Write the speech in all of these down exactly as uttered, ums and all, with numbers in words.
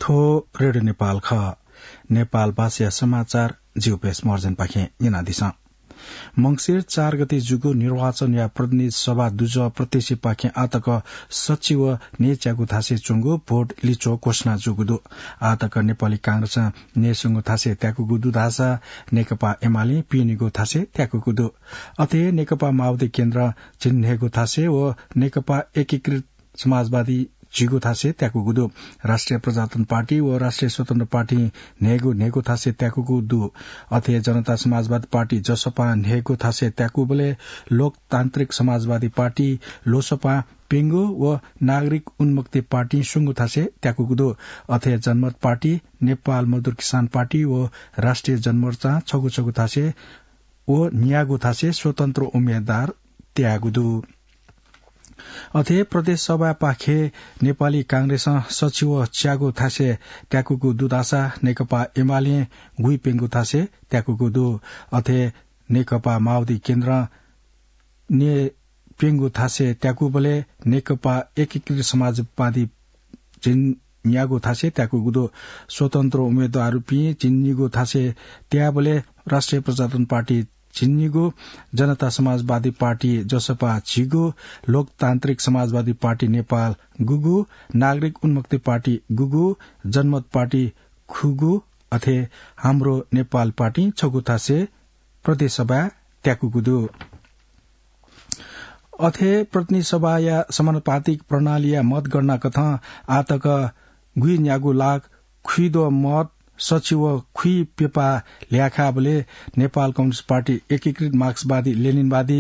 थ्व रेडियो नेपाल खः। नेपाल भाषाया समाचार जिगु प्रेस महर्जनपाखें न्यनादिसँ। मंसिर चार गते जूगु निर्वाचनया प्रतिनिधि सभा दुजः प्रत्यक्षपाखें आतक सच्छि व न्हय्च्यागू थासय् च्वंगु भोट लिच्वः घोषणा जूगु दु। आतक नेपाली कांग्रेसं न्हय्स्वंगू थासय् त्याकूगु दु धाःसा नेकपा एमालें पीन्हय्गू थासय् त्याकूगु दु। अथे हे नेकपा माओवादी केन्द्रं झिंन्हय्गू थासय् व नेकपा एकीकृत समाजवादी झिगू थासय् त्याकूगु दु। राष्ट्रिय प्रजातन्त्र पार्टी व राष्ट्रिय स्वतन्त्र पार्टीं न्हय्गू न्हय्गू थासय् त्याकूगु दु। अथे जनता समाजवादी पार्टी जसपां न्हय्गू थासय् त्याकूबलय् लोकतान्त्रिक समाजवादी पार्टी लोसपां प्यंगू व नागरिक उन्मुक्ति पार्टीं स्वंगू थासय् त्याकूगु दु। अथे जनमत पार्टी, नेपाल मजदुर किसान पार्टी व राष्ट्रिय जनमोर्चां छगू छगू थासय् व न्यागू थासय् स्वतन्त्र उम्मेदवार त्याःगु दु। अथे प्रदेश सभापाखे नेपाली कांग्रेसं सच्छि व च्यागू थासय् त्याकूगु दु धाःसा नेकपा एमालें गुइप्यंगू थासय् त्याकूगु दु। अथे नेकपा माओवादी केन्द्रं न्हय्प्यंगू थासय् त्याकूबलय् नेकपा एकीकृत समाजवादी झिंन्यागू थासय् त्याकूगु दु। स्वतन्त्र उम्मेदवारपिं झिंनिगू थासय् त्याःबलय् राष्ट्रिय प्रजातन्त्र पार्टी झिंनिगू, जनता समाजवादी पार्टी जसपा झिगू, लोकतान्त्रिक समाजवादी पार्टी नेपाल गुगू, नागरिक उन्मुक्ति पार्टी गुगू, जनमत पार्टी खुगू, अथे हाम्रो नेपाल पार्टी छगू थासय् प्रदेश सभा त्याकूगु दु। अथे प्रतिनिधि सभाया समानुपातिक प्रणालीया मतगणना कथं आतक गुइन्यागू लाख खुइद्वः मत सच्छि व खुइप्यपा ल्याखाबलय् नेपाल कम्युनिस्ट पार्टी, एकीकृत मार्क्सवादी लेनिनवादी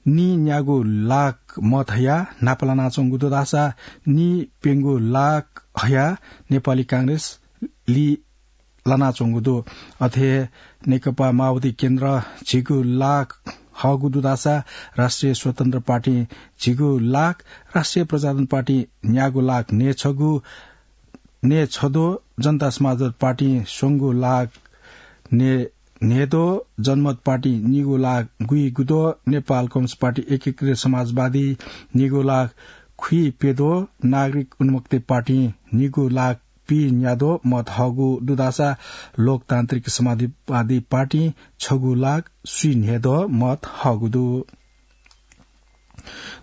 नीन्यागू लाख मत हयाः न्हापा लानाच्वंगु दु धाःसा नीप्यंगू लाख हयाः नेपाली कांग्रेस ली लानाच्वंगु दु। अथे हे नेकपा माओवादी केन्द्र झिगू लाख हःगु दु धाःसा राष्ट्रिय स्वतन्त्र पार्टी झिगू लाख, राष्ट्रिय प्रजातन्त्र पार्टी न्यागू लाख न्हय्छगू, न्हय्छद्वः, जनता समाजवादी पार्टी स्वंगू लाख न्हय्, न्हय्द्वः, जनमत पार्टी निगू लाख गुइगुद्वः, नेपाल कम्युनिस्ट पार्टी एकीकृत समाजवादी निगू लाख खुइप्यद्वः, नागरिक उन्मुक्ति पार्टी निगू लाख पीन्याद्वः मत हःगु दु धाःसा लोकतान्त्रिक समाजवादी पार्टी छगू लाख स्वीन्हय्द्वः मत हःगु दु।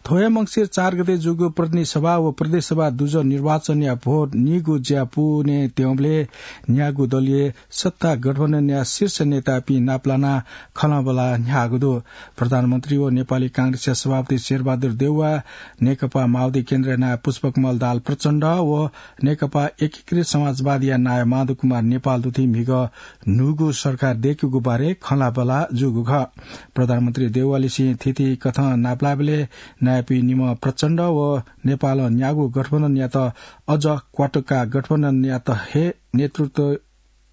थ्व हे मंसिर चार गते जूगु प्रतिनिधि सभा व प्रदेश सभा दुजः निर्वाचनया भोट नीगू ज्या पूवने त्यंबलय् न्यागू दलीय सत्ता गठबन्धनया शीर्ष नेतापिं नापलानाः खँल्हाबल्हा न्ह्याःगु दु। प्रधानमन्त्री व नेपाली कांग्रेसया सभापति शेरबहादुर देउवा, नेकपा माओवादी केन्द्रया नायः पुष्पकमल दाहाल प्रचण्ड व नेकपा एकीकृत समाजवादीया नायः माधव कुमार नेपाल दुथि म्हिगः न्हूगु सरकार दय्केगु बारे खँल्हाबल्हा जूगु खः। प्रधानमन्त्री देउवालिसें थीथी कथं नापलाःबलय् नायःपिं निम्ह प्रचण्ड व नेपालं न्यागू गठबन्धनयात अझ क्वातुकाः गठबन्धनयात हे नेतृत्व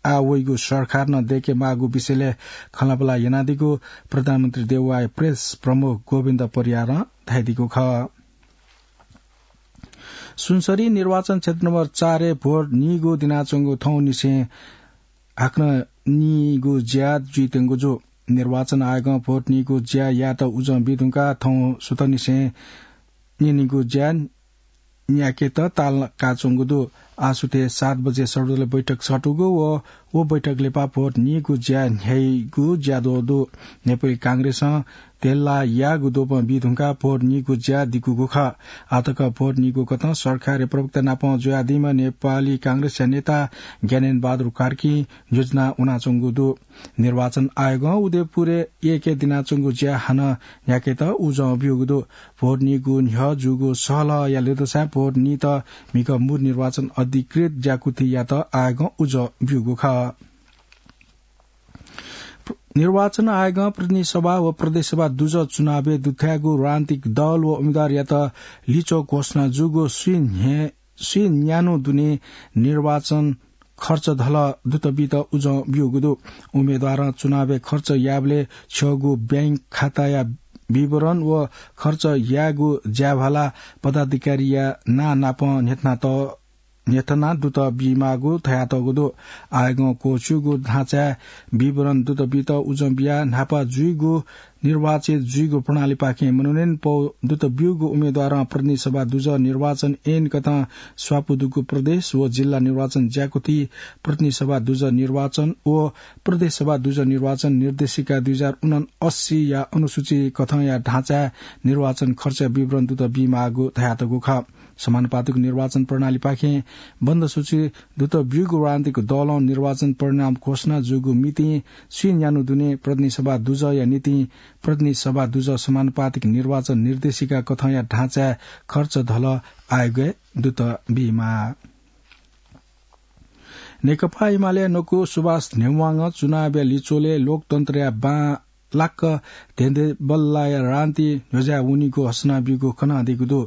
आ वइगु सरकार नं दय्केमाःगु विषयलय् खँल्हाबल्हा यानादीगु प्रधानमन्त्री देउवाया प्रेस प्रमुख गोविन्द परियारं धयादीगु खः। सुनसरी निर्वाचन क्षेत्र नम्बर चारय् भोट नीगू दिनाच्वंगु थौंनिसें हाकनं नीगू ज्या जुइत्यंगु जू। निर्वाचन आयोगं भोट नीगू ज्या यायेत उजं बी धुंकाः थौं सुथंनिसें नीनिगू ज्या न्याकेत ताल काःच्वंगु दु। आसुथय् सात बजे सर्वदलीय बैठक सःतूगु व व बैठक लिपा भोट नीगू ज्या न्ह्याइगु ज्याद्वः दु। नेपाली कांग्रेसं धेल्ला याःगु द्वपं बी धुंकाः भोट नीगू ज्या दिकूगु खः। आतक भोट नीगू कथं सरकारया प्रवक्ता नाप जुयादीम्ह नेपाली कांग्रेसया नेता ज्ञानेन्द्र बहादुर कार्कीं योजना वनाच्वंगु दु। निर्वाचन आयोगं उदयपुरय् यय्के दिनाच्वंगु ज्या हानं न्ह्याकेत उजं ब्यूगु दु। भोट नीगु न्ह्यः जूगु सहलहया ल्यूदँसां भोट नीत म्हिगः मुर निर्वाचन अधिकृत ज्याकुथियात आयोगं उजं ब्यूगु खः। निर्वाचन आयोगं प्रतिनिधि सभा व प्रदेश सभा दुजः चुनावय् दुथ्याःगु राजनीतिक दल व उम्मेदवारयात लिच्वः घोषणा जूगु स्वीन्हय् स्वीन्यान्हु दुने निर्वाचन खर्च धलः दुत बीत उजं ब्यूगु दु। उम्मेदवारं चुनावय् खर्च याःबलय् छ्यःगू बैंक खाताया विवरण व खर्च यायेगु ज्याभाला पदाधिकारीया नां नाप न्ह्यथना त-, न्ह्यथना दुत बीमाःगु धयातःगु दु। आयोगं क्वःछिउगु ढाँचाय् विवरण दुत बीत उजं बियाः न्हापा जुइगु निर्वाचित जुइगु प्रणालीपाखें मनोनयन पौ दुत ब्यूगु उम्मेद्वारं प्रतिनिधि सभा दुजः निर्वाचन ऐन कथं स्वापू दुगु प्रदेश व जिल्ला निर्वाचन ज्याकुथि प्रतिनिधि सभा दुजः निर्वाचन व प्रदेश सभा दुजः निर्वाचन निर्देशिका दुई हजार उनासी या अनुसूची कथंया ढाँचाय् निर्वाचन खर्च विवरण दुत बीमाःगु धयातःगु खः। समानुपातिक निर्वाचन प्रणालीपाखें बन्द सूची दुत ब्यूगु राजनीतिक दलं निर्वाचन परिणाम घोषणा जूगु मितिं स्वीन्यान्हु दुने प्रतिनिधि सभा दुजःया निंतिं प्रतिनिधि सभा दुजः समानुपातिक निर्वाचन निर्देशिका कथंया ढाँचाय् खर्च धल आयोगय् दुत बीमाः। नेकपा एमाले नकु सुभाष नेवांगं चुनावया लिच्वलय् लोकतन्त्रया बां लाक्क धेंधेंबल्लाया रान्ति न्ह्यज्याः वनीगु हसना ब्यूगु कनादीगु दु।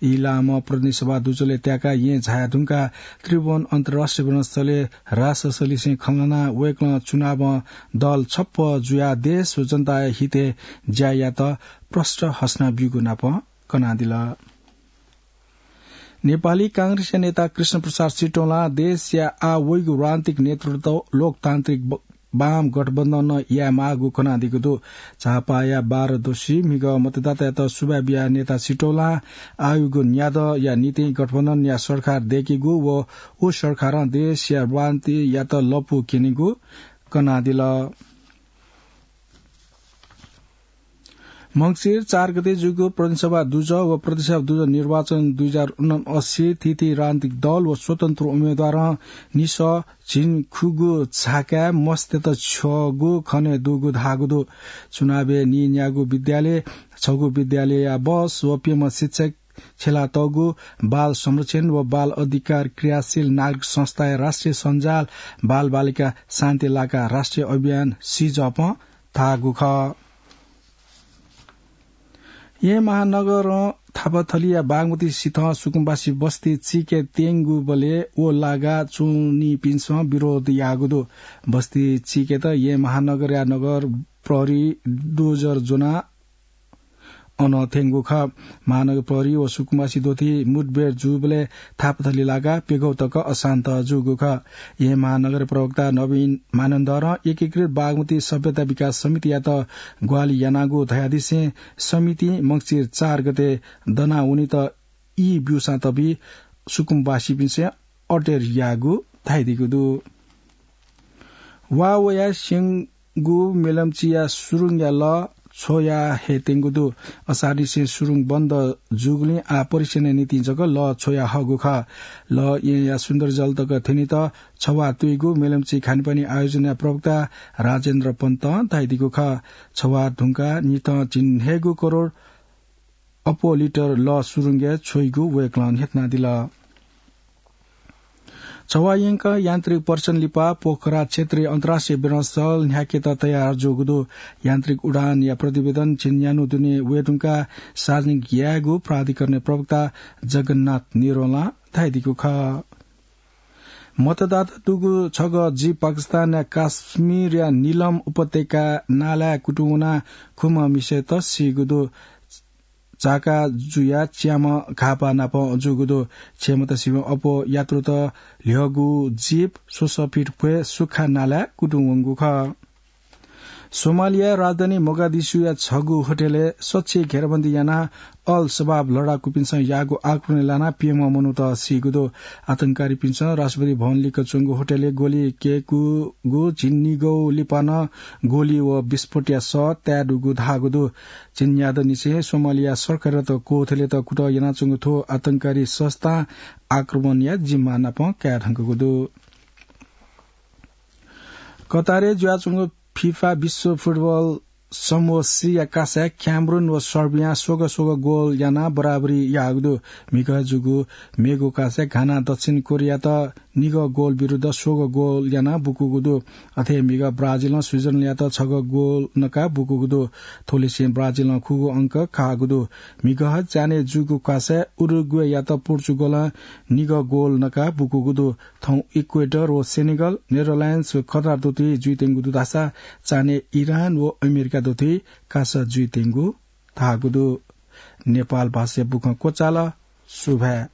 इलाम प्रतिनिधि सभा दुजलय् त्याकाः येँ झाया धुंकाः त्रिभुवन अन्तर्राष्ट्रिय विमानस्थलय् राष्ट्रसलिसें खँ ल्हानाः वय्कलं चुनावं दल छप्प जुयाः देश व जनताया हितय् ज्या यात प्रष्ट हसना ब्यूगु नाप कनादिल। नेपाली कांग्रेसया नेता कृष्ण प्रसाद सिटौलां देशया आः वइगु राजनीतिक नेतृत्व लोकतान्त्रिक ब-, वाम गठबन्धनं यायेमाःगु कनादीगु दु। झापाया बाह्र दोषी म्हिगः मतदातायात सुभाय् बियाः नेता सिटौलां आःयागु न्यादँया निंतिं गठबन्धनया सरकार दय्केगु व उ सरकारं देशया राजनीतियात लँपु क्यनीगु कनादिल। मंसिर चार गते जूगु प्रतिनिधि सभा दुजः व प्रदेश सभा दुजः निर्वाचन दुई हजार उनासी थीथी राजनीतिक दल व स्वतन्त्र उम्मेद्वारं निसः झिंखुगू झाकाय् मस्तय्त छ्यःगु खने दुगु धाःगु दु। चुनावय् नीन्यागू विद्यालय, छगू विद्यालयया बस व प्यम्ह शिक्षक छ्यलातःगु बाल संरक्षण व बाल अधिकार क्रियाशील नागरिक संस्थाया राष्ट्रिय सञ्जाल बालबालिका शान्ति लाका राष्ट्रिय अभियान सिजपं धाःगु खः। येँ महानगरं थापाथलीया बागमती सिथं सुकुम्बासी बस्ती चीके त्यंगुबलय् व लागा च्वनीपिन्सं विरोध याःगु दु। बस्ती चीकेत येँ महानगरया नगर प्रहरी डोजर ज्वनाः अन थ्यंगु खः। महानगर प्रहरी व सुकुम्बासी द्वथी मुठभेड जूबलय् थापाथली लागा प्यघौ तक अशान्त जूगु खः। येँ महानगर प्रवक्ता नवीन मानन्धरं एकीकृत बागमती सभ्यता विकास समितियात ग्वाहालि यानागु धयादिसें समितिं मंसिर चार गते दनावनीत ई ब्यूसां तबी सुकुम्बासीपिन्सं अटेर याःगु धाइदीगु दु। वा वया स्यंगु मेलम्चीया सुरुङया लः छ्वया हे त्यंगु दु। असारनिसें सुरुङ बन्द जूगुलिं आः परीक्षणया निंतिं जक लः छ्वया हःगु खः। लः येँया सुन्दरजल तक थ्यनीत छवाः तुइगु मेलम्ची खानेपानी आयोजनया प्रवक्ता राजेन्द्र पन्तं धाइदीगु खः। छवाः धुंकाः निथं झिंन्हय्गू करोड अप्वः लिटर लः सुरुङय् छ्वइगु वय्कलं न्ह्यथनादिल। छवाः यंकं यान्त्रिक परीक्षण लिपा पोखरा क्षेत्रीय अन्तर्राष्ट्रिय विमानस्थल न्ह्याकेत तयार जूगु दु। यान्त्रिक उडानया प्रतिवेदन झिंन्यान्हु दुने वये धुंकाः सार्वजनिक यायेगु प्राधिकरणया प्रवक्ता जगन्नाथ निरोलां धाइदीगु खः। मतदाता दुगु छगः जीप पाकिस्तानया काश्मीरया नीलम उपत्यका नालाय् कुतुं वनाः खुम्ह मिसायात सीगु दु। चाका जुयाः च्याम्ह घाःपाः नाप जूगु दु। छय्‌म्हत सिबें अप्वः यात्रुत ल्ह्यःगु जीप स्वसः फिट भ्वय् सुख्खा नालाय् कुतुं वंगु खः। सोमालिया राजधानी मोगादिशुया छगू होटलय् सछि घेराबन्दी यानाः अल शबाब लडाकुपिन्सं याःगु आक्रमणय् लानाः प्यम्ह मनूत सीगु दु। आतंककारीपिन्सं राष्ट्रपति भवन लिक्क च्वंगु होटलय् गोली कय्‌कूगु झिंनिगौ लिपा नं गोली व विस्फोटया सः ताये दुगु धाःगु दु। झिंन्यादँनिसें सोमालिया सरकारयात क्वथलेत कुतः यानाच्वंगु थ्व आतंककारी संस्थां आक्रमणया जिम्मा नाप काये धुंकूगु दु। कतारय् जुयाच्वंगु फिफा विश्व फुटबल समूह सीया कासाय् क्यामरुन व सर्बियां स्वगः स्वगः गोल यानाः बराबरी याःगु दु। म्हिगः जूगु मेगु कासाय् घानां दक्षिण कोरियात निगः गोल विरुद्ध स्वगः गोल यानाः बुकूगु दु। अथे म्हिगः ब्राजिलं स्विजरल्याण्डयात छगः गोल नकाः बुकूगु दु। थ्वलिसें ब्राजिलं खुगू अंक काःगु दु। म्हिगः च्यान्हय् जूगु कासाय् उरुग्वेयात पोर्चुगलं निगः गोल नकाः बुकूगु दु। थौं इक्वेडर व सेनेगल, नेदरल्याण्ड्स व कतार दथुइ जुइत्यंगु दु धाःसा च्यान्हय् इरान व अमेरिका दथुइ कासा जुइत्यंगु धाःगु दु। नेपाल भाषाया बुखँ क्वचाल। सुभाय्।